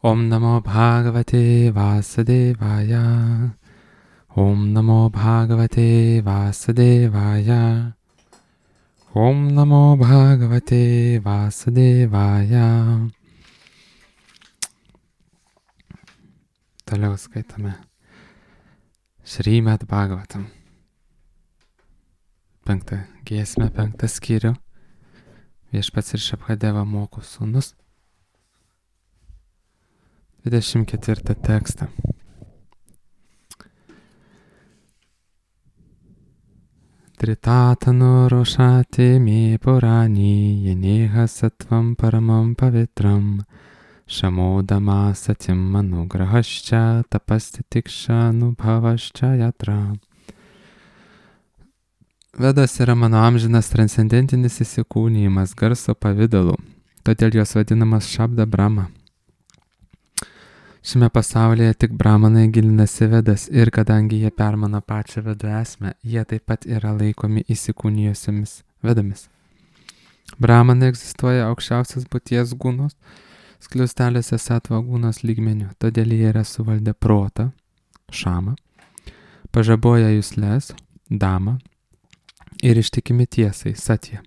Om Namo Bhagavate Vasudevaya. Om Namo Bhagavate Vasudevaya. Om Namo Bhagavate Vasudevaya. Toliau skaitame Šrīmad Bhagavatam. 5 giesmę, 5 skyrių. Viešpats Rišabhadeva moko sūnus. 24 tekstą. Tritatanu rošati mi purani yeneha sattvam paramam pavitram shamodama satim anugrahascha tapasti tiksha nubhavascha yatra. Vedas yra mano amžinas transcendentinis įsikūnijimas garso pavidalu, todėl jos vadinamas Šabda Brahma. Šiame pasaulyje tik Brahmanai gilinasi Vedas ir kadangi jie permano pačią Vedų esmę, jie taip pat yra laikomi įsikūnijusiomis Vedomis. Brahmanai egzistuoja aukščiausios būties gūnos, skliausteliuose Sattva gūnos lygmeniu, todėl jie yra suvaldę protą, Šamą, pažaboja jusles, Damą ir ištikimi tiesai, Satya.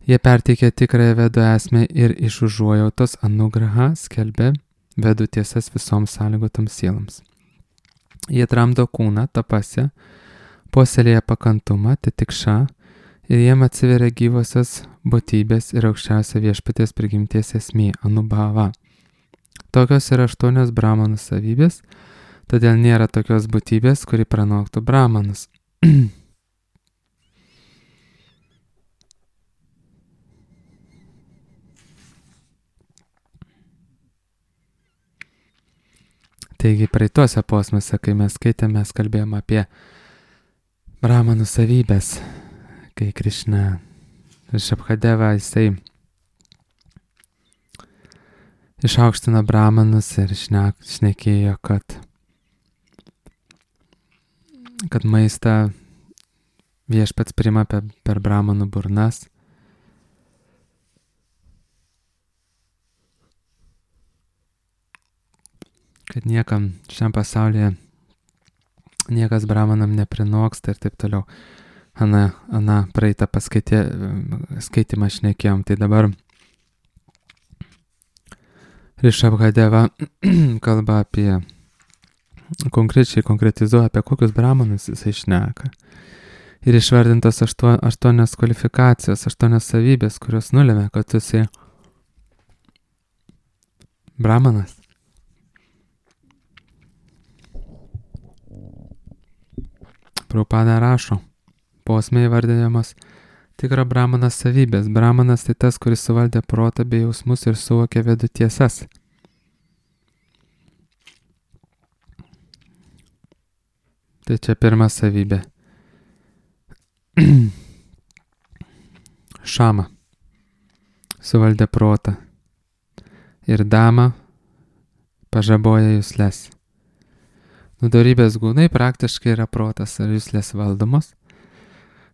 Jie perteikia tikrąją Vedų esmę ir iš užuojautos anugraha skelbia Vedų tiesas visoms sąlygotoms sieloms. Jie tramdo kūną, tapasę, puoselėja pakantumą, titikša ir jiem atsiveria gyvosios būtybės ir aukščiausia viešpaties prigimties esmė, anubhava. Tokios yra 8 brahmanų savybės, todėl nėra tokios būtybės, kuri pranoktų brahmanus. Taigi praeituose posmuose, kai mes skaitėme, mes kalbėjome apie brahmanų savybės, kai Krišna Rišabhadeva jisai išaukštino brahmanus ir šnekėjo, kad maistą viešpats priima per brahmanų burnas. Kad niekam šiam pasaulyje niekas brahmanam neprinoksta ir taip toliau. Ana praeitą skaitimą šnekėjom, tai dabar Rišabhadeva kalba apie, konkretizuoja apie kokius brahmanus jisai šneka. Ir išvardintos 8 kvalifikacijos, 8 savybės, kurios nulėmė, kad tu esi brahmanas. Prabhupada rašo, posme įvardinamas tikra brahmanas savybės. Brahmanas tai tas, kuris suvaldė protą bei jausmus ir suvokė Vedų tiesas. Tai čia pirma savybė. Šama suvaldė protą ir Dama pažaboja jusles. Dorybės gūnai praktiškai yra protas ar juslės valdomos.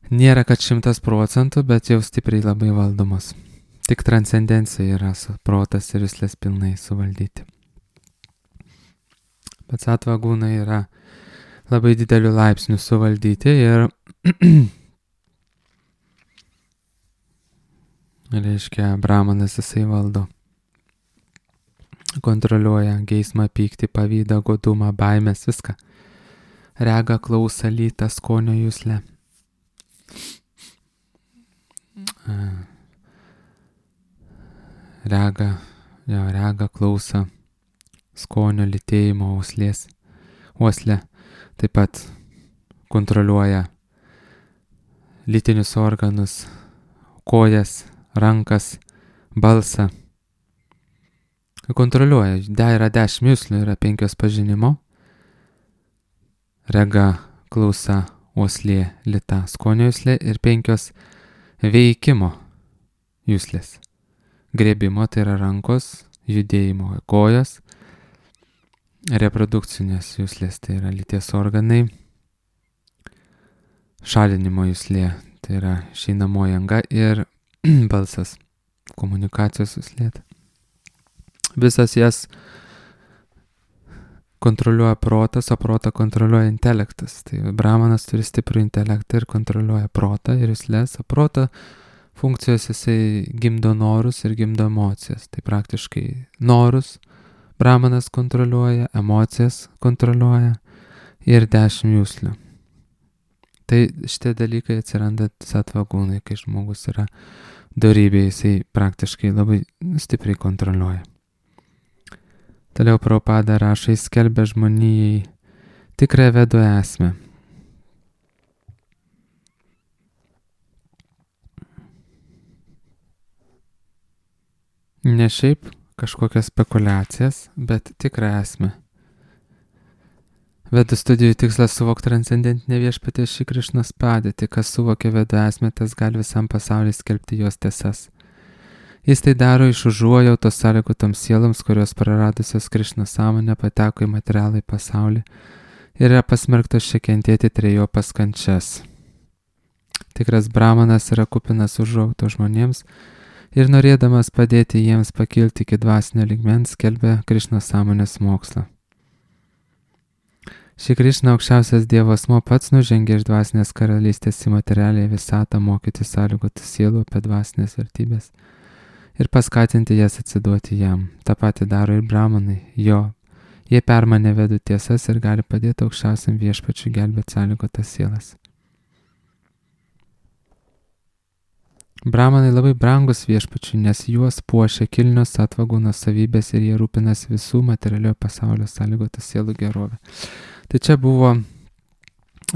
Nėra, kad 100%, bet jau stipriai labai valdomos. Tik transcendencija yra protas ir juslės pilnai suvaldyti. Bet Sattva gūnai yra labai didelių laipsnių suvaldyti ir reiškia, brahmanas jisai valdo. Kontroliuoja geismą, pyktį, pavydą, godumą, baimės, viską. Regą, klausą, lytą, skonio juslę. Regą, klausą, skonio, lytėjimo, uoslę. Taip pat kontroliuoja lytinius organus, kojas, rankas, balsą. Kontroliuoja. Yra 10 juslių, yra 5 pažinimo. Rega, klausa, uoslė, lyta, skonio juslė ir 5 veikimo juslės. Grėbimo, tai yra rankos, judėjimo, kojos. Reprodukcinės juslės, tai yra lyties organai. Šalinimo juslė, tai yra išeinamoji anga ir balsas, komunikacijos juslė. Visas jas kontroliuoja protas, o protą kontroliuoja intelektas. Tai brahmanas turi stiprų intelektą ir kontroliuoja protą ir juslės, o proto funkcijos jisai gimdo norus ir gimdo emocijas. Tai praktiškai norus brahmanas kontroliuoja, emocijas kontroliuoja ir 10 juslių. Tai šitie dalykai atsiranda satvagūnai, kai žmogus yra dorybė, jisai praktiškai labai stipriai kontroliuoja. Toliau Prabhupada rašo, jis skelbia žmonijai tikrą vedų esmę. Ne šiaip kažkokias spekulacijas, bet tikrą esmę. Vedų studijų tikslas suvokti transcendentinę viešpaties Šri Krišnos padėtį, kas suvokia vedų esmę, tas gali visam pasauliu skelbti jos tiesas. Jis tai daro iš užuojautos sąlygotoms sieloms, kurios praradusios Krišnos sąmonę pateko į materialų pasaulį ir yra pasmerktos čia kentėti trejopas kančias. Tikras brahmanas yra kupinas užuojautos žmonėms ir norėdamas padėti jiems pakilti iki dvasinio lygmens, skelbia Krišnos sąmonės mokslą. Šri Krišna aukščiausias Dievo asmuo pats nužengė iš dvasinės karalystės į materialią visatą mokyti sąlygotų sielų apie dvasinės vertybės ir paskatinti jas atsiduoti jam. Ta pati daro ir brahmanai. Jie permanė vedų tiesas ir gali padėti aukščiausiam viešpačiui gelbėti sąlygotas sielas. Brahmanai labai brangus viešpačiui, nes juos puošia kilnios satvagūnos savybės ir jie rūpinasi visų materialiojo pasaulio sąlygotų sielų gerovę. Tai čia buvo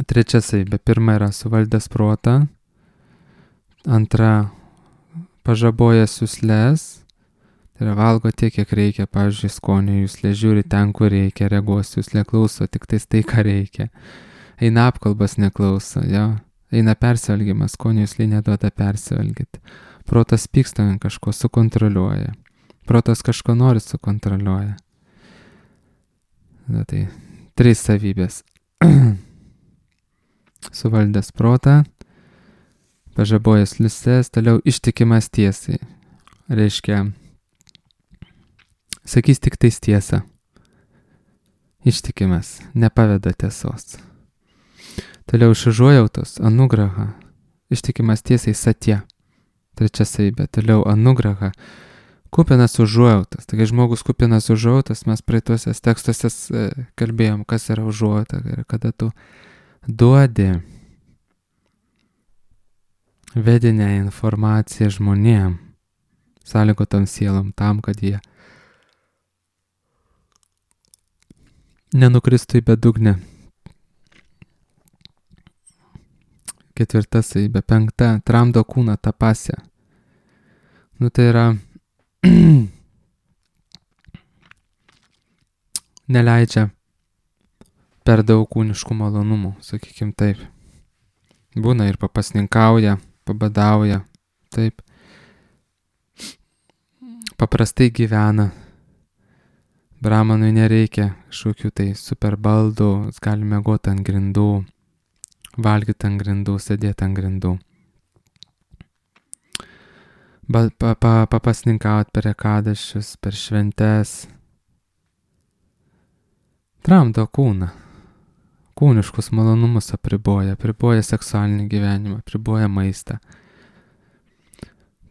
trečia savybė. Pirma yra suvaldęs protą, antra pažabojęs juslės, tai yra valgo tiek, kiek reikia, pavyzdžiui, skonio juslė, žiūri ten, kur reikia, regos juslė klauso, tik tais tai, ką reikia. Eina apkalbas neklauso, eina persivalgymas, skonio juslė neduoda persivalgyti. Protas pyksta ant kažko, sukontroliuoja. Protas kažko nori, sukontroliuoja. Tai 3 savybės. Suvaldęs protą, pažabojęs liusės, toliau ištikimas tiesai. Reiškia, sakys tik tais tiesą. Ištikimas, nepaveda tiesos. Toliau iš užuojautos, anugraha. Ištikimas tiesai satya. 3 savybė. Toliau anugraha. Kupinas užuojautas. Tai kai žmogus kupinas užuojautas, mes praeituose tekstuose kalbėjom, kas yra užuojauta. Ir kada tu duodi vedinę informaciją žmonėm, sąlygotom sielom, tam, kad jie nenukristų į bedugnę. 4 savybė. 5. Tramdo kūną tapasę. Tai yra neleidžia per daug kūniškų malonumų, sakykim taip. Būna ir papasninkauja, pabadauja, taip. Paprastai gyvena. Brahmanui nereikia kažkokių tai super baldų, jis gali miegoti ant grindų, valgyti ant grindų, sėdėti ant grindų. Papasninkauti per ekadašius, per šventes. Tramdo kūną. Kūniškus malonumus apriboja seksualinį gyvenimą, apriboja maistą.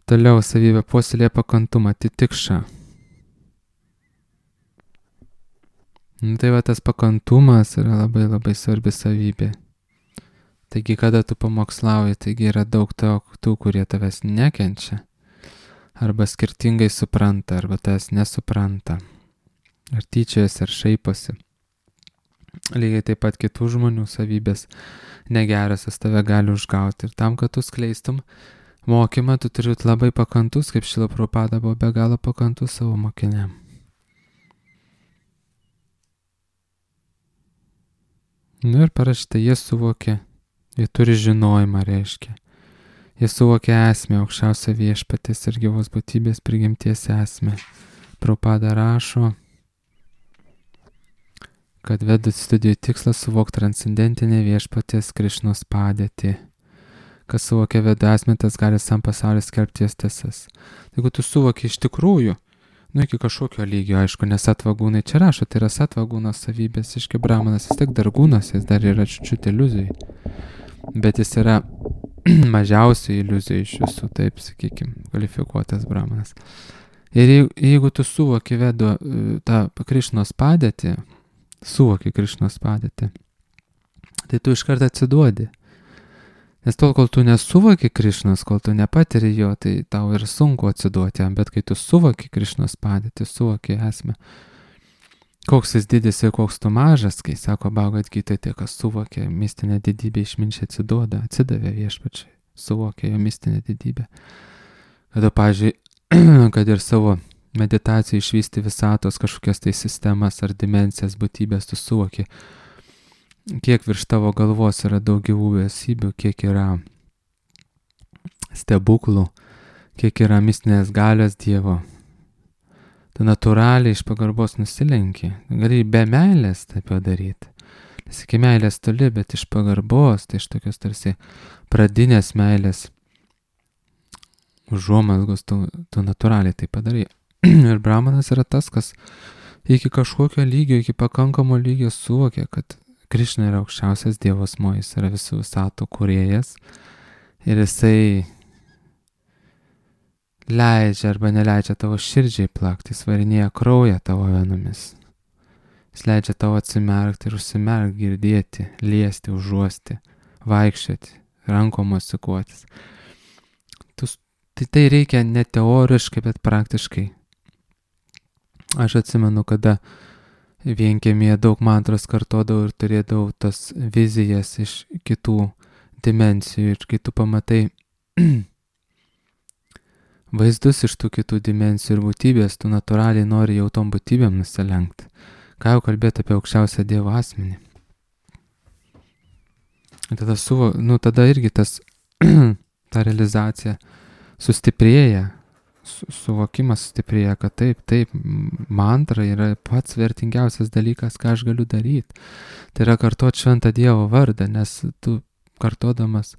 Toliau savybė puoselėja pakantumą, titikša. Tai va tas pakantumas yra labai labai svarbi savybė. Taigi, kada tu pamokslauji, taigi yra daug tų, kurie tavęs nekenčia. Arba skirtingai supranta, arba tavęs nesupranta. Ar tyčiojasi, ar šaiposi. Lygiai taip pat kitų žmonių savybės negerasios tave gali užgauti. Ir tam, kad tu skleistum mokymą, tu turi labai pakantus, kaip Šrila Prabhupada buvo be galo pakantus savo mokiniam. Ir parašyta, jie suvokė, jie turi žinojimą, reiškia. Jie suvokė esmę, aukščiausią viešpaties ir gyvos būtybės prigimties esmę. Prabhupada rašo, kad vedų studijų tikslas suvokti transcendentinę viešpaties Krišnos padėtį. Kas suvokia vedų esmę, tas gali visam pasauliu skelbti jos tiesas. Jeigu tu suvoki iš tikrųjų, Nu, iki kažkokio lygio, aišku, nes satvagūnai čia rašo, tai yra satvagūno savybės, iški brahmanas vis tiek dar gūnas, jis dar yra čiut iliuzijai. Bet jis yra mažiausiai iliuzijai iš visų, taip, sakykime, kvalifikuotas brahmanas. Ir jeigu tu suvoki vedu tą Krišnos padėtį, tai tu iš karto atsiduodi. Nes tol, kol tu nesuvoki Krišnos, kol tu nepatiri jo, tai tau ir sunku atsiduoti jam, bet kai tu suvoki Krišnos padėtį, suvoki esmę, koks jis didis ir koks tu mažas, kai sako Bhagavad Gita, tie, kas suvokė mistinę didybę, išminčiai atsiduoda, atsidavė viešpačiai, suvokė jo mistinę didybę. Kada, pavyzdžiui, kad ir savo meditacijai išvysti visatos kažkokias tai sistemas ar dimensijas, būtybės, tu suvoki, kiek virš tavo galvos yra daug gyvų esybių, kiek yra stebuklų, kiek yra mistinės galios Dievo. Tu natūraliai iš pagarbos nusilenki. Gali be meilės taip jau daryti. Nes iki meilės toli, bet iš pagarbos, tai iš tokios tarsi pradinės meilės užuomazgos tu natūraliai tai padarai. Ir brahmanas yra tas, kas iki kažkokio lygio, iki pakankamo lygio suvokia, kad Krišna yra aukščiausias Dievo asmuo, jis yra visų visatų kūrėjas ir jisai leidžia arba neleidžia tavo širdžiai plakti, jis varinėja kraują tavo venomis. Jis leidžia tavo atsimerkti ir užsimerkti, girdėti, liesti, užuosti, vaikščioti, rankom mosikuotis. Tai reikia ne teoriškai, bet praktiškai. Aš atsimenu, kada vienkiemėje daug mantras kartodavau ir turėdavau tas vizijas iš kitų dimensijų ir kai tu pamatai vaizdus iš tų kitų dimensijų ir būtybės, tu natūraliai nori jau tom būtybėm nusilenkti. Ką jau kalbėti apie aukščiausią Dievo asmenį. Tada tada irgi ta realizacija sustiprėja, suvokimas sustiprėja, kad taip, mantra yra pats vertingiausias dalykas, ką aš galiu daryti. Tai yra kartuoti šventą Dievo vardą, nes tu kartodamas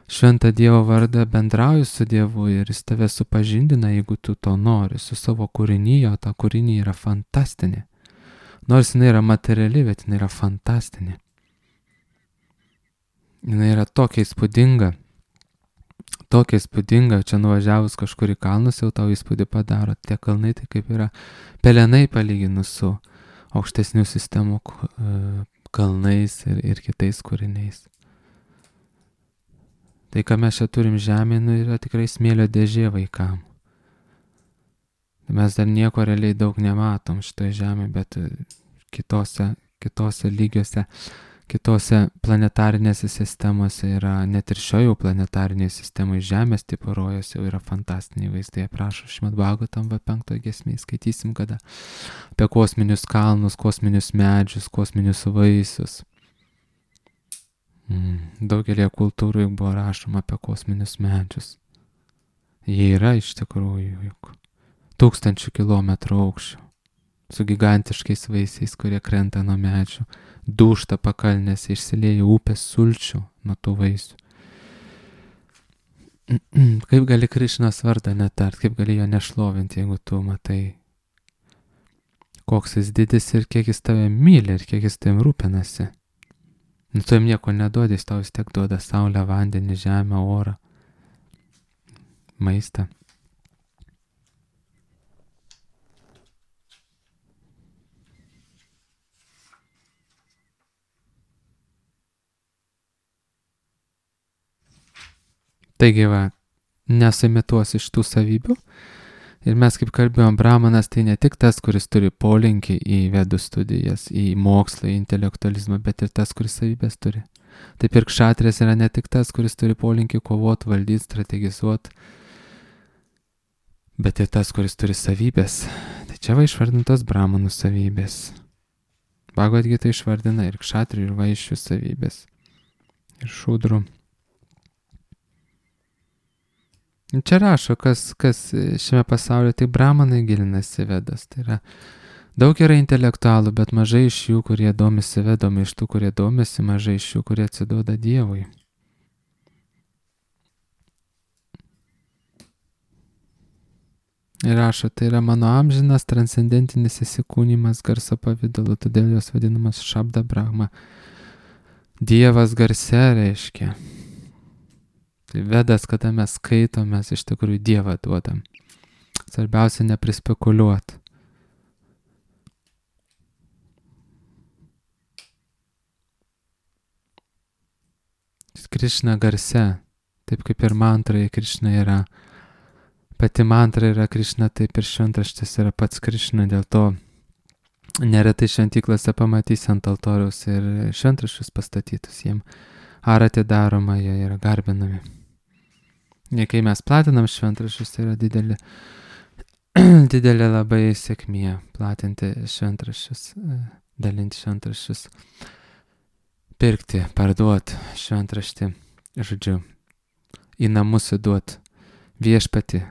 šventą Dievo vardą bendrauji su Dievu ir jis tave supažindina, jeigu tu to nori, su savo kūrinyje, o ta kūrinė yra fantastinė. Nors jinai yra materiali, bet jinai yra fantastinė. Jinai yra tokia įspūdinga, čia nuvažiavus kažkur į kalnus jau tau įspūdį padaro. Tie kalnai tai kaip yra pelenai palyginus su aukštesnių sistemų kalnais ir kitais kūriniais. Tai, ką mes čia turim žemėje, yra tikrai smėlio dėžė vaikam. Mes dar nieko realiai daug nematom šitoje žemėje, bet kitose lygiuose, kitose planetarinėse sistemose yra, net ir šioje planetarinėje sistemoje Žemės tipo rojos jau yra fantastiniai vaizdai. Prašau, Šrimad Bhagavatam 5 giesmėje skaitysim kada apie kosminius kalnus, kosminius medžius, kosminius vaisius. Daugelį kultūrų juk buvo rašoma apie kosminius medžius. Jie yra iš tikrųjų juk 1000 kilometrų aukščio, su gigantiškais vaisiais, kurie krenta nuo medžių, dūžta pakalnėse, išsilieja upės sulčių nuo tų vaisių. Kaip gali Krišnos vardą netart, kaip gali jo nešlovinti, jeigu tu matai, koks jis didis ir kiek jis tave myli ir kiek jis tavim rūpinasi. Nu, tu jam nieko neduodi, jis tau vis tiek duoda saulę, vandenį, žemę, orą, maistą. Taigi va, nesuimituos iš tų savybių. Ir mes kaip kalbėjom, brahmanas tai ne tik tas, kuris turi polinkį į vedų studijas, į mokslą, į intelektualizmą, bet ir tas, kuris savybės turi. Taip ir kšatrės yra ne tik tas, kuris turi polinkį kovoti, valdyti, strategizuoti, bet ir tas, kuris turi savybės. Tai čia va išvardintos brahmanų savybės. Bhagavad Gita išvardina ir kšatrių, ir vaiščių savybės. Ir šūdrų. Čia rašo, kas šiame pasaulyje, tai brahmanai gilinasi vedas. Tai yra, daug yra intelektualų, bet mažai iš jų, kurie domisi vedami, iš tų, kurie domisi, mažai iš jų, kurie atsiduoda Dievui. Ir rašo, tai yra mano amžinas transcendentinis įsikūnymas garso pavidalu, todėl jos vadinamas Šabda Brahma. Dievas garse reiškia. Tai Vedas, kada mes skaitom, mes iš tikrųjų Dievą duodam. Svarbiausia neprispekuliuoti. Krišna garse, taip kaip ir mantroje Krišna yra. Pati mantra yra Krišna, taip ir šventraštis yra pats Krišna, dėl to neretai šventyklose pamatys ant altoriaus ir šventraščius pastatytus jiem. Aratė daroma, jie yra garbinami. Ir kai mes platinam šventraščius, tai yra didelė labai sėkmė platinti šventraščius, dalinti šventraščius, pirkti, parduoti šventraštį, žodžiu, į namus įduoti viešpatį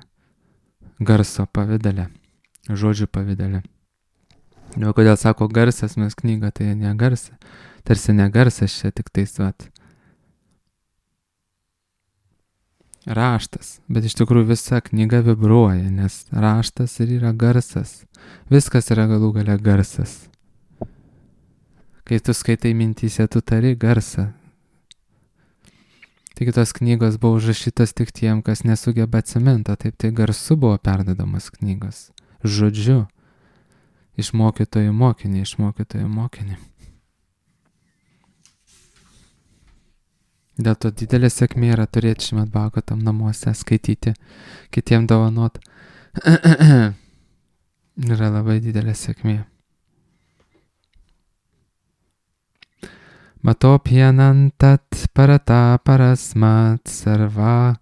garso pavidale, žodžių pavidale. O kodėl sako garsas, mes knygą, tai ne garsas, tarsi ne garsas čia tik tais vat. Raštas, bet iš tikrųjų visa knyga vibruoja, nes raštas ir yra garsas. Viskas yra galų gale garsas. Kai tu skaitai mintyse, tu tari garsą. Taigi tos knygos buvo užrašytos tik tiem, kas nesugeba atsimint, taip tai garsu buvo perdodamas knygos. Žodžiu, iš mokytojų mokinį, iš mokytojų mokinį. Dėl to didelė sėkmė yra turėti Šrimad Bhagavatam namuose, skaityti, kitiem dovanot. Yra labai didelė sėkmė. Matopyanantat parata parasmat sarva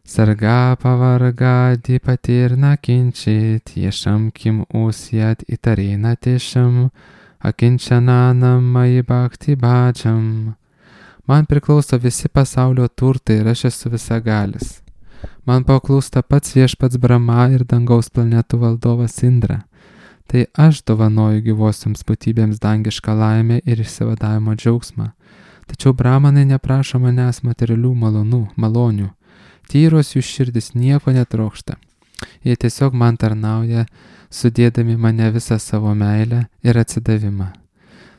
sarga pavarga dipatirna kinčit ješam kim usyat itarina tešam akinčananam mai bhakti bhajam. Man priklauso visi pasaulio turtai ir aš esu visagalis. Man paklūsta pats viešpats Brahma ir dangaus planetų valdovas Indra. Tai aš dovanoju gyvosioms būtybėms dangišką laimę ir išsivadavimo džiaugsmą. Tačiau brahmanai neprašo manęs materialių malonių. Tyros jų širdis nieko netrokšta. Jie tiesiog man tarnauja, sudėdami mane visą savo meilę ir atsidavimą.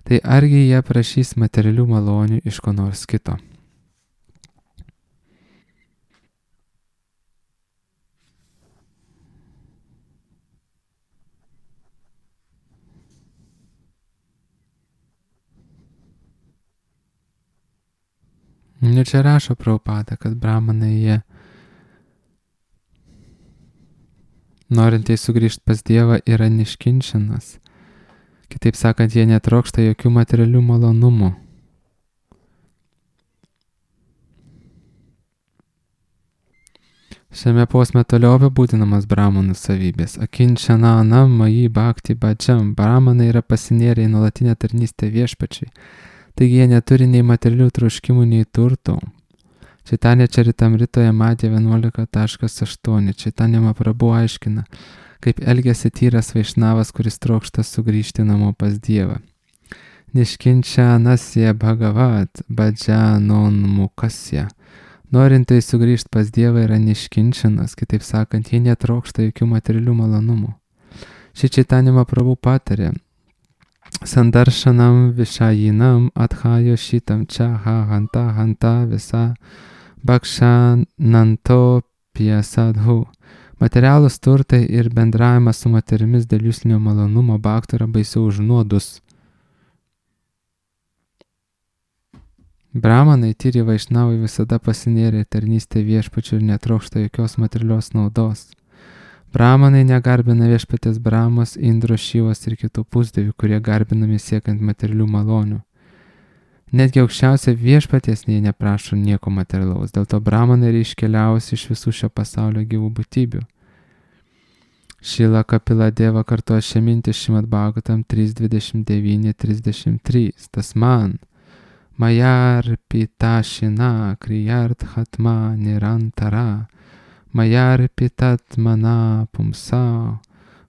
Tai argi jie prašys materialių malonių iš ko nors kito? Ir čia rašo Prabhupada, kad brahmanai jie norintieji sugrįžti pas Dievą yra niškinčinas. Kitaip sakant, jie netrokšta jokių materialių malonumų. Šiame posme toliau apibūdinamas brahmanų savybės. Akinčananam mai bhakti bhajam. Brahmanai yra pasinėrę į nuolatinę tarnystę viešpačiai. Taigi jie neturi nei materialių troškimų, nei turtų. Chaitanya Charitamritoje Madhya 11.8. Chaitanya Mahaprabhu aiškina, kaip elgiasi tyras vaišnavas, kuris trokšta sugrįžti namo pas Dievą. Niškinčanasya bhagavat bhajanon mukasya. Norintai sugrįžti pas Dievą yra niškinčianas, kitaip sakant, jie netrokšta jokių materialių malonumų. Ši Chaitanya Mahaprabhu patarė, Sandarshanam Vishayinam Adhayo Shitam Chaha Hanta Visa Bhakshananto Pyasadhu. Materialūs turtai ir bendravimas su moterimis dėl juslinio malonumo bhaktų yra baisiau už nuodus. Brahmanai tyri vaišnavai visada pasinėrė tarnystę viešpačių ir netrokšta jokios materialios naudos. Brahmanai negarbina viešpatės Brahmos, Indro, Šivos ir kitų pusdievių, kurie garbinami siekiant materialių malonių. Netgi aukščiausia viešpaties jie neprašo nieko materialaus, dėl to brahmanai yra iškeliausi iš visų šio pasaulio gyvų būtybių. Šila Kapila Deva kartuoja šią mintį Šrimad Bhagavatam 3.29.33. Tasman Mayar Pitashina Kriyart Hatma Nirantara Mayar Pitat Mana Pumsa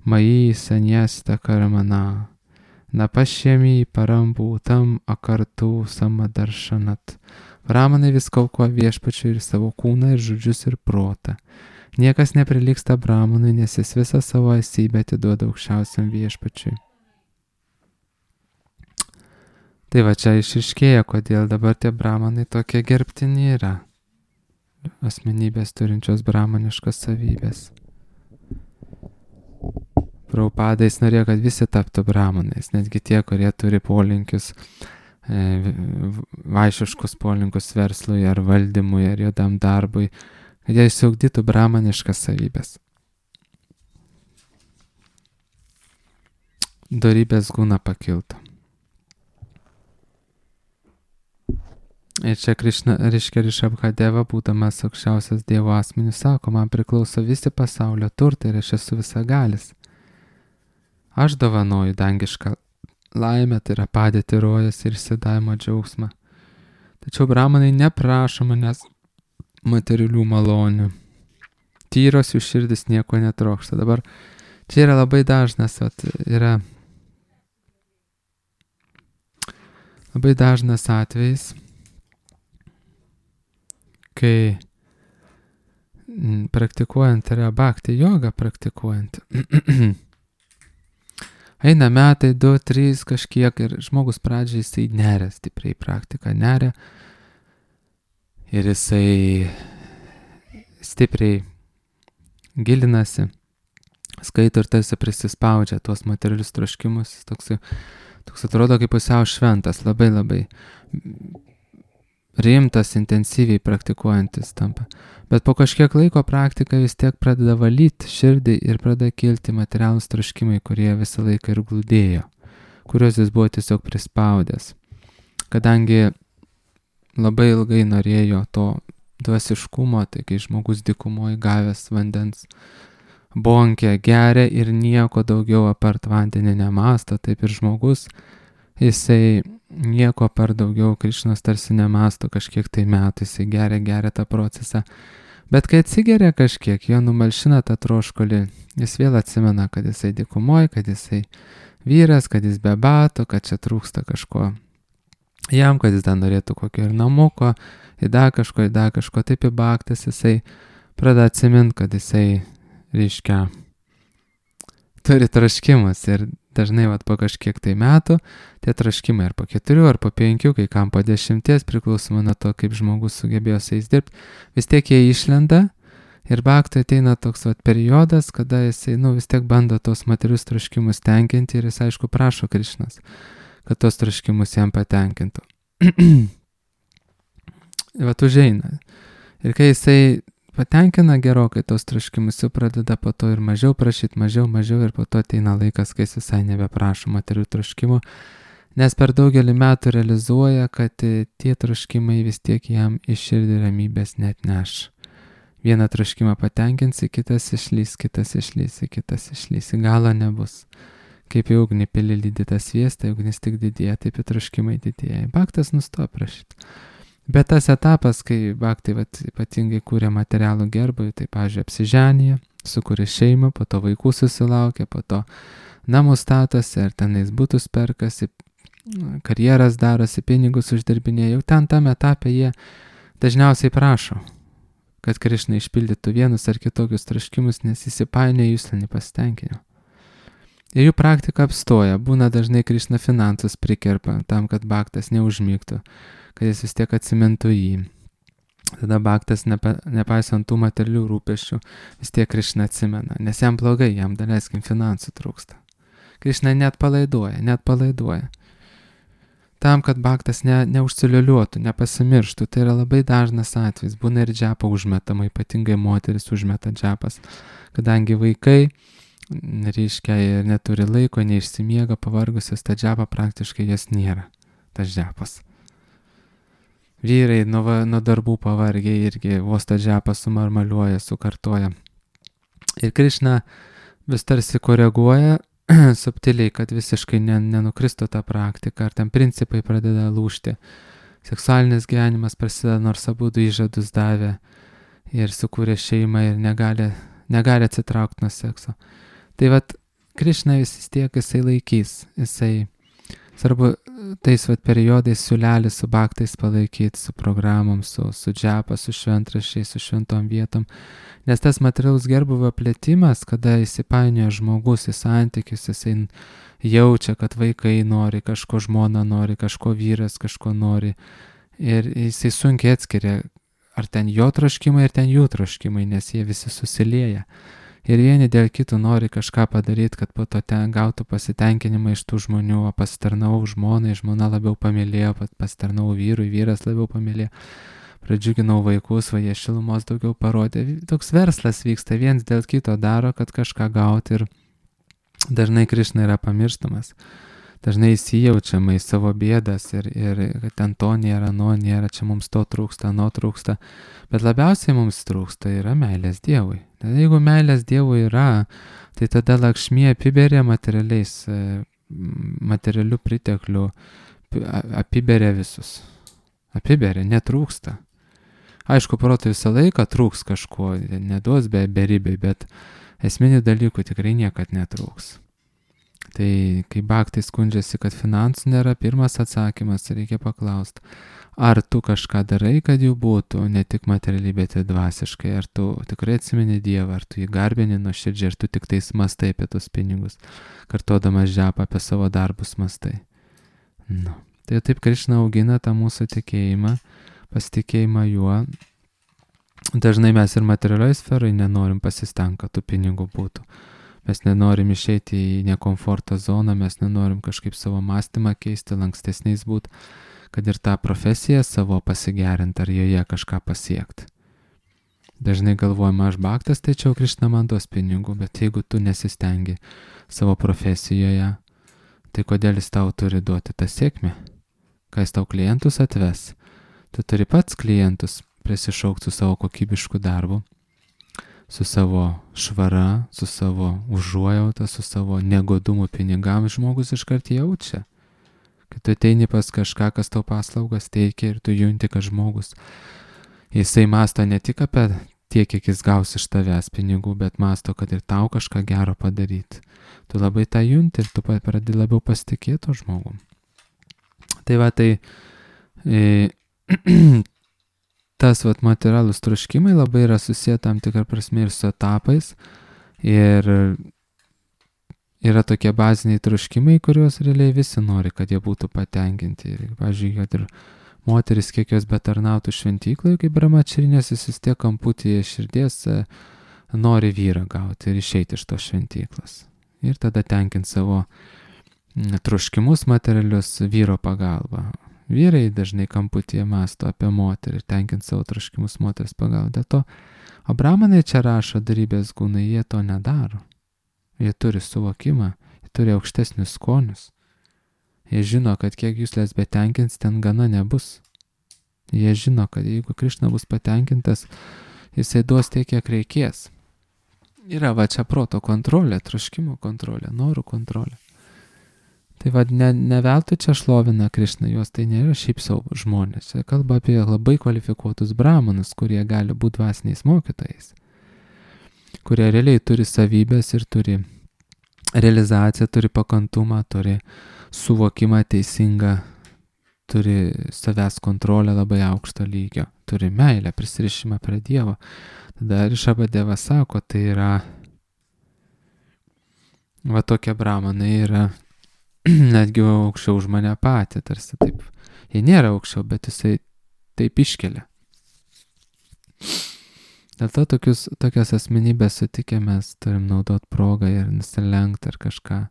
Mayi Sanyasta Karmana Napashyami Parambūtam Akartu Samadaršanat. Brahmanai viską aukoja viešpačiui ir savo kūną, ir žodžius, ir protą. Niekas neprilygsta Brahmanui, nes jis visą savo esybę atiduoda aukščiausiam viešpačiui. Tai va čia išriškėja, kodėl dabar tie Brahmanai tokie gerbtini yra. Asmenybės turinčios brahmaniškas savybės. Prabhupadais norėjo, kad visi taptų Brahmanais, netgi tie, kurie turi polinkius, vaišiškus polinkius verslui ar valdymui ar juodam darbui, kad jie išsiugdytų brahmaniškas savybės. Dorybės guna pakiltų. Ir čia Krišna, reiškia Rišabhadeva, būdamas aukščiausias Dievo asmenis, sako, man priklauso visi pasaulio turtai ir aš esu visagalis. Aš dovanoju dangišką laimę, tai yra padėti rojas ir išsidavimo džiaugsmą. Tačiau Brahmanai neprašo manęs materialių malonių. Tyros jų širdis nieko netrokšta. Dabar čia yra labai dažnas, yra labai dažnas atvejis, kai praktikuojant yra bhakti jogą praktikuojant. Eina metai, 2, 3 kažkiek ir žmogus pradžiai jisai neria stipriai praktiką, neria ir jisai stipriai gilinasi, skaito ir tarsi prisispaudžia tuos materialius troškimus, toks atrodo kaip pusiau šventas, labai labai rimtas, intensyviai praktikuojantis tampa. Bet po kažkiek laiko praktika vis tiek pradeda valyti širdį ir pradeda kilti materialūs troškimai, kurie visą laiką ir glūdėjo, kuriuos jis buvo tiesiog prispaudęs. Kadangi labai ilgai norėjo to dvasiškumo, tai kai žmogus dykumoje gavęs vandens bonkę geria ir nieko daugiau apart vandenį nemąsto, taip ir žmogus, jisai nieko per daugiau Krišnos tarsi nemasto kažkiek tai metų, jisai geria tą procesą. Bet kai atsigeria kažkiek, jo numalšina tą troškulį, jis vėl atsimena, kad jisai dykumoje, kad jisai vyras, kad jis be bato, kad čia trūksta kažko jam, kad jis dar norėtų kokio ir namuko, į dar kažko, taip į bhaktis jisai pradeda atsiminti, kad jisai, reiškia, turi troškimus ir dažnai po kažkiek tai metų tie troškimai ar po 4 ar po 5, kai kam po 10, priklausomai nuo to, kaip žmogus sugebėjo su jais dirbti, vis tiek jie išlenda ir bhakti ateina toks periodas, kada jisai vis tiek bando tos materius troškimus tenkinti ir jis aišku prašo Krišnos, kad tos troškimus jam patenkintų. Užeina. Ir kai jisai patenkina gerokai tos troškimus, jau pradeda po to ir mažiau prašyti, mažiau ir po to ateina laikas, kai jis visai nebeprašo materių troškimų, nes per daugelį metų realizuoja, kad tie troškimai vis tiek jam iš širdį ramybės net neš. Vieną troškimą patenkinsi, kitas išlys, į galą nebus. Kaip į ugnį pili lydytą sviestą, ugnis tik didėja, taip į troškimai didėja. Bhaktas nustoja prašyti. Bet tas etapas, kai bhaktai ypatingai kūrė materialų gerbūvį, tai, pavyzdžiui, apsiženyje, sukūrė šeimą, po to vaikų susilaukė, po to namų statosi, ar tenais butus perkasi, karjeras darosi, pinigus uždirbinėja. Jau tam etape jie dažniausiai prašo, kad Krišna išpildytų vienus ar kitokius troškimus, nes įsipainioja jūslinį pasitenkinimą. Ir jų praktika apstoja, būna dažnai Krišna finansus prikerpa tam, kad bhaktas neužmygtų, kad jis vis tiek atsimintų jį. Tada bhaktas, nepaisant tų materialių rūpesčių, vis tiek Krišna atsimena, nes jam blogai, jam daleiskim finansų trūksta. Krišna net palaiduoja. Tam, kad bhaktas neužsiliuliuotų, nepasimirštų, tai yra labai dažnas atvejis, būna ir džapa užmetama, ypatingai moteris užmeta džapas, kadangi vaikai, reiškia, ir neturi laiko, neišsimiega, pavargusios, ta džapa praktiškai jas nėra, tas džapas. Vyrai nuo darbų pavargiai irgi vos tą džapą sumarmaliuoja, sukartoja. Ir Krišna vis tarsi koreguoja subtiliai, kad visiškai nenukristų tą praktiką, ar ten principai pradeda lūžti. Seksualinis gyvenimas prasideda, nors abudu įžadus davė ir sukūrė šeimą ir negali atsitraukti nuo sekso. Tai Krišna vis tiek jisai laikys, jisai Svarbu tais periodais siūlelį su baktais palaikyti, su programom, su džepa, su šventraščiais, su šventom vietom. Nes tas materialus gerbuvio plėtimas, kada įsipainioja žmogus į santykius, jisai jaučia, kad vaikai nori, kažko žmona nori, kažko vyras kažko nori. Ir jisai sunkiai atskiria, ar ten jo troškimai, ir ten jų troškimai, nes jie visi susilieja. Ir vieni dėl kitų nori kažką padaryti, kad po to ten gautų pasitenkinimą iš tų žmonių, o pasitarnau žmonai, žmona labiau pamylėjo, pasitarnau vyrui, vyras labiau pamylėjo, pradžiuginau vaikus, va jie šilumos daugiau parodė. Toks verslas vyksta, viens dėl kito daro, kad kažką gauti ir dažnai Krišna yra pamirštamas. Dažnai įsijaučiama į savo bėdas ir kad ten to nėra, nėra, čia mums to trūksta, trūksta. Bet labiausiai mums trūksta yra meilės Dievui. Tad jeigu meilės Dievui yra, tai tada Lakšmė apiberia materialių priteklių, apiberia visus. Apiberia, netrūksta. Aišku, protui visą laiką trūks kažko, neduos beribiai, bet esminių dalykų tikrai niekad netrūks. Tai kai baktai skundžiasi, kad finansų nėra, pirmas atsakymas reikia paklausti, ar tu kažką darai, kad jų būtų, ne tik materialiai, bet ir dvasiškai, ar tu tikrai atsimeni Dievą, ar tu jį garbini nuoširdžiai, ar tu tik tais mastai apie tus pinigus, kartuodamas džepą apie savo darbus mastai. Nu. Tai taip Krišna augina tą mūsų tikėjimą, pasitikėjimą juo. Dažnai mes ir materialioj sferai nenorim pasistengti, kad tų pinigų būtų. Mes nenorim išeiti į nekomforto zoną, mes nenorim kažkaip savo mąstymą keisti, lankstesniais būti, kad ir tą profesiją savo pasigerinti ar joje kažką pasiekti. Dažnai galvojama, aš baktas, tai čia Krišna man duos pinigų, bet jeigu tu nesistengi savo profesijoje, tai kodėl jis tau turi duoti tą sėkmę? Kai jis tau klientus atves, tu turi pats klientus prisišaukti su savo kokybišku darbu, su savo švara, su savo užuojauta, su savo negodumu pinigams žmogus iškart jaučia. Kai tu ateini pas kažką, kas tau paslaugas teikia ir tu junti, kad žmogus, jisai masto ne tik apie tiek, kiek jis gaus iš tavęs pinigų, bet masto, kad ir tau kažką gero padaryti. Tu labai tą junti ir tu pradedi labiau pasitikėti žmogum. Tai va, tai tas materialūs troškimai labai yra susiję tam tikrą prasme ir su etapais ir yra tokie baziniai troškimai, kuriuos realiai visi nori, kad jie būtų patenkinti. Ir, pavyzdžiui, kad ir moteris, kiek jos betarnautų šventyklai, kaip brahmačarinės, jis vis tiek kamputyje širdies nori vyrą gauti ir išeiti iš tos šventyklos. Ir tada tenkinti savo troškimus materialius vyro pagalba. Vyrai dažnai kamputyje mąsto apie moterį ir tenkinti savo troškimus moters pagalba. Dėl to, o brahmanai čia rašo darybės gūnai, jie to nedaro. Jie turi suvokimą, jie turi aukštesnius skonius. Jie žino, kad kiek jūslės betenkins, ten gana nebus. Jie žino, kad jeigu Krišna bus patenkintas, jisai duos tiek, kiek reikės. Yra va čia proto kontrolė, troškimo kontrolė, norų kontrolė. Tai va, ne veltui čia šlovina Krišna, jos tai nėra šiaip savo žmonės. Čia kalba apie labai kvalifikuotus brahmanus, kurie gali būti dvasiniais mokytojais, kurie realiai turi savybės ir turi realizaciją, turi pakantumą, turi suvokimą teisingą, turi savęs kontrolę labai aukšto lygio, turi meilę, prisirišimą prie Dievo. Tada Rišabadeva sako, tai yra, va tokie brahmanai yra netgi aukščiau už mane patį, tarsi taip. Jie nėra aukščiau, bet jisai taip iškelia. Dėl to tokias asmenybės sutikę mes turim naudoti progą ir nusilenkti ar kažką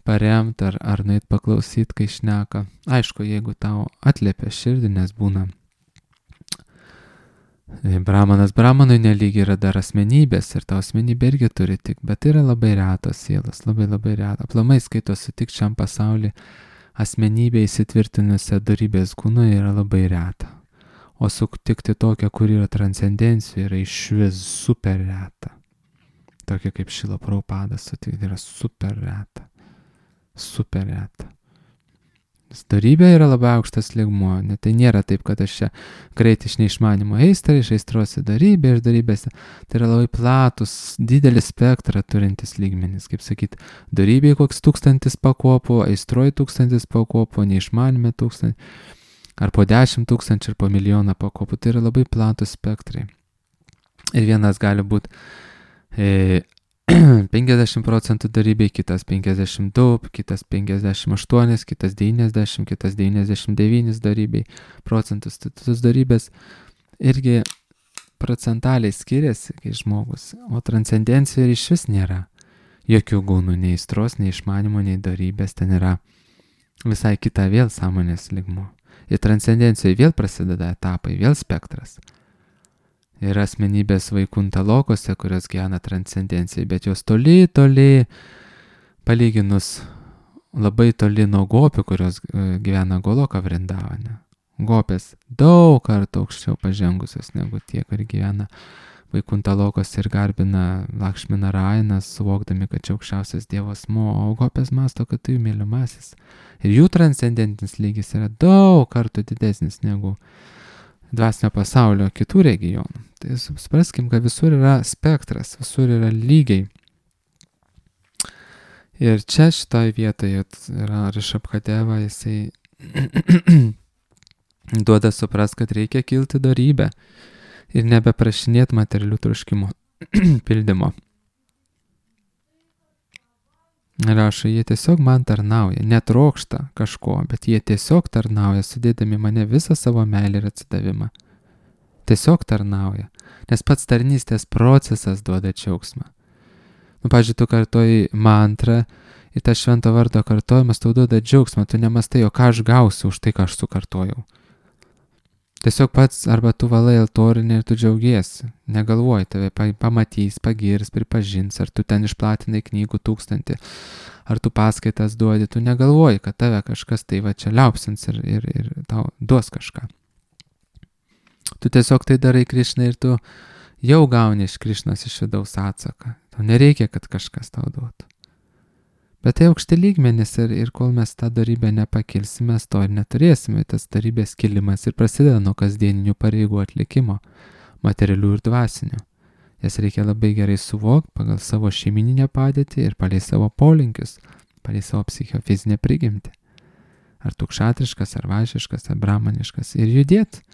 paremti ar nueit paklausyti, kai šneka. Aišku, jeigu tau atliepia širdį, nes būna brahmanui nelygiai yra dar asmenybės ir tau asmenybė irgi turi tik, bet tai yra labai retos sielos, labai labai reta. Aplamai skaito sutikti šiam pasaulyje asmenybė įsitvirtinusią darybės kūną yra labai reta. O sutikti tokią, kur yra transcendencija, yra išvis super reta. Tokia kaip Šrila Prabhupada sutikti yra super reta. Super reta. Dorybė yra labai aukštas lygmuo, tai nėra taip, kad aš čia greit iš neišmanimo iš aistros į dorybę, iš dorybės. Tai yra labai platus, didelį spektrą turintis lygmenis, kaip sakyti, dorybėje koks 1000 pakopų, aistroje 1000 pakopų, neišmanime 1000, ar po 10 000 ir po 1 000 000 pakopų, tai yra labai platus spektrai. Ir vienas gali būti 50% dorybėj, kitas 52, kitas 58, kitas 90, kitas 99 dorybėj procentus. Tos dorybės irgi procentaliai skiriasi, kai žmogus, o transcendencijoje iš vis nėra jokių gūnų, nei aistros, nei išmanimo, nei dorybės, ten yra visai kita vėl sąmonės lygmuo. Ir transcendencijoje vėl prasideda etapai, vėl spektras. Yra asmenybės vaikunta lokose, kurios gyvena transcendencijai, bet jos toli, palyginus labai toli nuo gopių, kurios gyvena Goloka Vrindavane. Gopės daug kartų aukščiau pažengusios negu tie, kurie gyvena vaikunta lokose ir garbina Lakšmi Narainą, suvokdami, kad čia aukščiausias dievas asmuo, o gopės masto, kad tai jų mylimasis. Ir jų transcendentinis lygis yra daug kartų didesnis negu dvasinio pasaulio kitų regionų. Tai supraskim, kad visur yra spektras, visur yra lygiai. Ir čia šitoj vietoje yra Rišabhadeva, jisai duoda suprast, kad reikia kilti dorybę ir nebeprašinėti materialių troškimų pildymo. Rašo, jie tiesiog man tarnauja, netrokšta kažko, bet jie tiesiog tarnauja, sudėdami mane visą savo meilę ir atsidavimą. Tiesiog tarnauja, nes pats tarnystės procesas duoda džiaugsmą. Pavyzdžiui, tu kartoji mantrą ir tas švento vardo kartojimas tau duoda džiaugsmą, tu nemastai, o ką aš gausiu už tai, ką aš sukartojau. Tiesiog pats arba tu valai altorinę ir tu džiaugiesi, negalvoji, tave pamatys, pagirs, pripažins, ar tu ten išplatinai knygų 1000, ar tu paskaitas duodi, tu negalvoji, kad tave kažkas tai va čia liaupsins ir tau duos kažką. Tu tiesiog tai darai Krišnai ir tu jau gauni iš Krišnos iš vidaus atsaką. Tau nereikia, kad kažkas tau duotų. Bet tai aukšti lygmenys ir kol mes tą dorybę nepakilsime, mes to ir neturėsime. Tas dorybės kilimas ir prasideda nuo kasdieninių pareigų atlikimo, materialių ir dvasinių. Jas reikia labai gerai suvokti pagal savo šeimininę padėtį ir palei savo polinkius, palei savo psichofizinę prigimtį. Ar tu kšatriškas, ar vaišiškas, ar brahmaniškas. Ir judėti.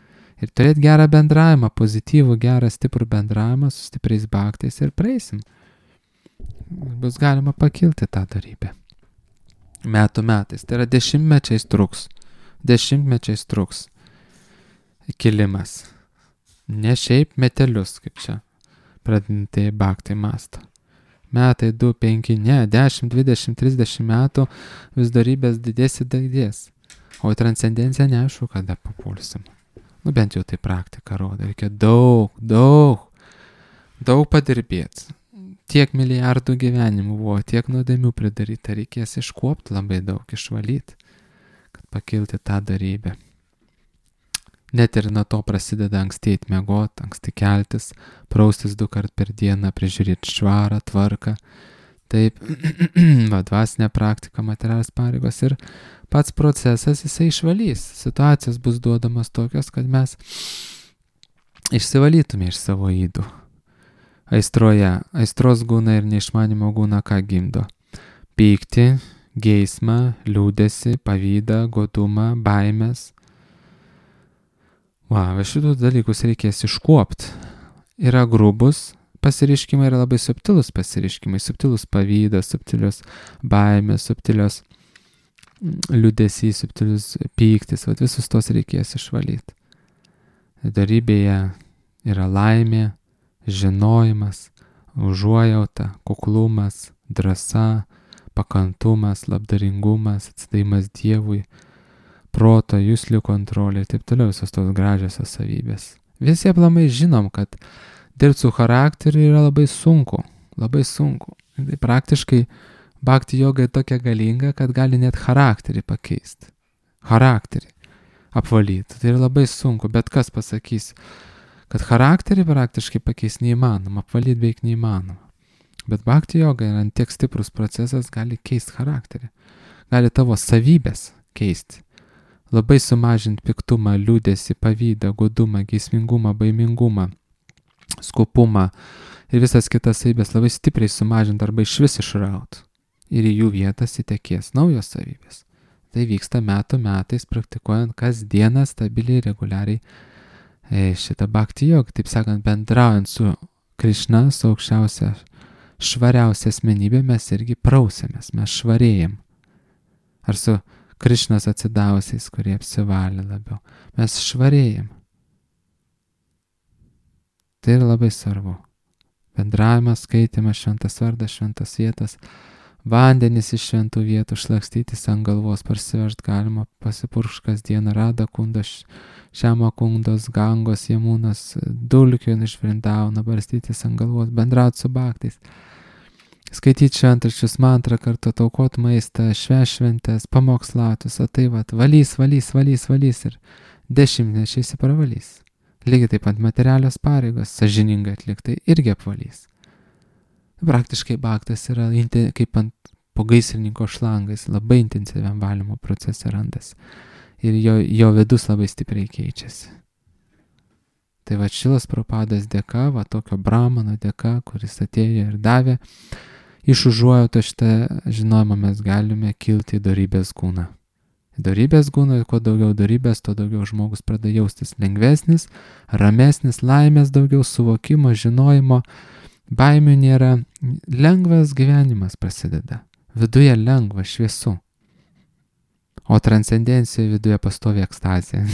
Ir turėti gerą bendravimą, pozityvų, gerą, stiprų bendravimą su stipriais bhaktais ir praeisim. Bus galima pakilti tą dorybę. Metų metais. Tai yra dešimtmečiais truks kilimas. Ne šiaip metelius, kaip čia pradintai bhaktai masto. Metai, 2, 5, ne, 10, 20, 30 metų vis dorybės didės. O į transcendenciją neaišku, kada papulsim. Bent jau tai praktika rodo. Reikia daug padirbėti. Tiek milijardų gyvenimų buvo, tiek nuodėmių pridaryta, reikės iškuopti labai daug, išvalyti, kad pakilti tą dorybę. Net ir nuo to prasideda ankstėti miegot, anksti keltis, praustis 2 kart per dieną, prižiūrėti švarą, tvarką. Taip, dvasinė praktika, materialios pareigos ir pats procesas jisai išvalys. Situacijos bus duodamas tokios, kad mes išsivalytume iš savo ydų. Aistros gūna ir neišmanimo gūna ką gimdo? Pyktį, geismą, liūdesį, pavydą, godumą, baimės. Šitų dalykus reikės iškuopti. Yra grubus pasireiškimai, yra labai subtilus pasireiškimai, subtilus pavydas, subtilios baimės, subtilios liūdesys, subtilius pyktis. Visus tos reikės išvalyti. Dorybėje yra laimė, žinojimas, užuojauta, kuklumas, drąsa, pakantumas, labdaringumas, atsidavimas Dievui, proto, juslių kontrolė ir taip toliau, visos tos gražiosios savybės. Visi aplamai žinom, kad dirbti su charakteriu yra labai sunku. Tai praktiškai bhakti joga tokia galinga, kad gali net charakterį pakeisti. Charakterį apvalyti. Tai yra labai sunku, bet kas pasakys, kad charakterį praktiškai pakeis neįmanoma, apvalyti beveik neįmanoma. Bet bhakti joga yra tiek stiprus procesas, gali keisti charakterį. Gali tavo savybės keisti. labai sumažinti piktumą, liūdesį, pavydą, godumą, geismingumą, baimingumą, skupumą ir visas kitas savybės labai stipriai sumažinti arba išvis išrauti. Ir į jų vietas įtekės naujos savybės. Tai vyksta metų metais, praktikuojant kasdieną stabiliai, reguliariai šitą bhakti jogą, taip sakant, bendraujant su Krišna, su aukščiausia, švariausia asmenybė, mes irgi prausiamės, mes švarėjam. Ar su Krišnos atsidavusiais, kurie apsivalė labiau. Mes švarėjam. Tai yra labai svarbu. Bendravimas, skaitimas, šventas vardas, šventas vietas, vandenys iš šventų vietų, šlakstytis ant galvos, parsivežt galima, pasipurkšt kasdieną, Rada kundas, Šiama kundos, Gangos, Jamūnas, dulkių iš Vrindavano, barstytis ant galvos, bendraut su bhaktais, skaityti šventraščius, mantrą kartu, taukot maistą, šventės, pamokslautus, o tai valys ir dešimtmečiais pravalys. Lygiai taip pat materialios pareigos, sąžiningai atliktai irgi apvalys. Praktiškai bhaktas yra kaip ant pogaisrininko šlangais, labai intensyviam valymo procese randas. Ir jo vidus labai stipriai keičiasi. Tai va Šilas Prabhupados dėka, va tokio brahmano dėka, kuris atėjo ir davė, iš užuojauto šitą žinojimą mes galime kilti į dorybės kūną. Dorybės kūną, kuo daugiau dorybės, tuo daugiau žmogus pradeda jaustis lengvesnis, ramesnis, laimės daugiau, suvokimo, žinojimo, baimių nėra, lengvas gyvenimas prasideda. Viduje lengva, šviesu. O transcendencija viduje pastovi ekstazija.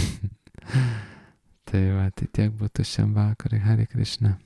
Tai va, tai tiek būtų šiam vakarui. Hare Krishna.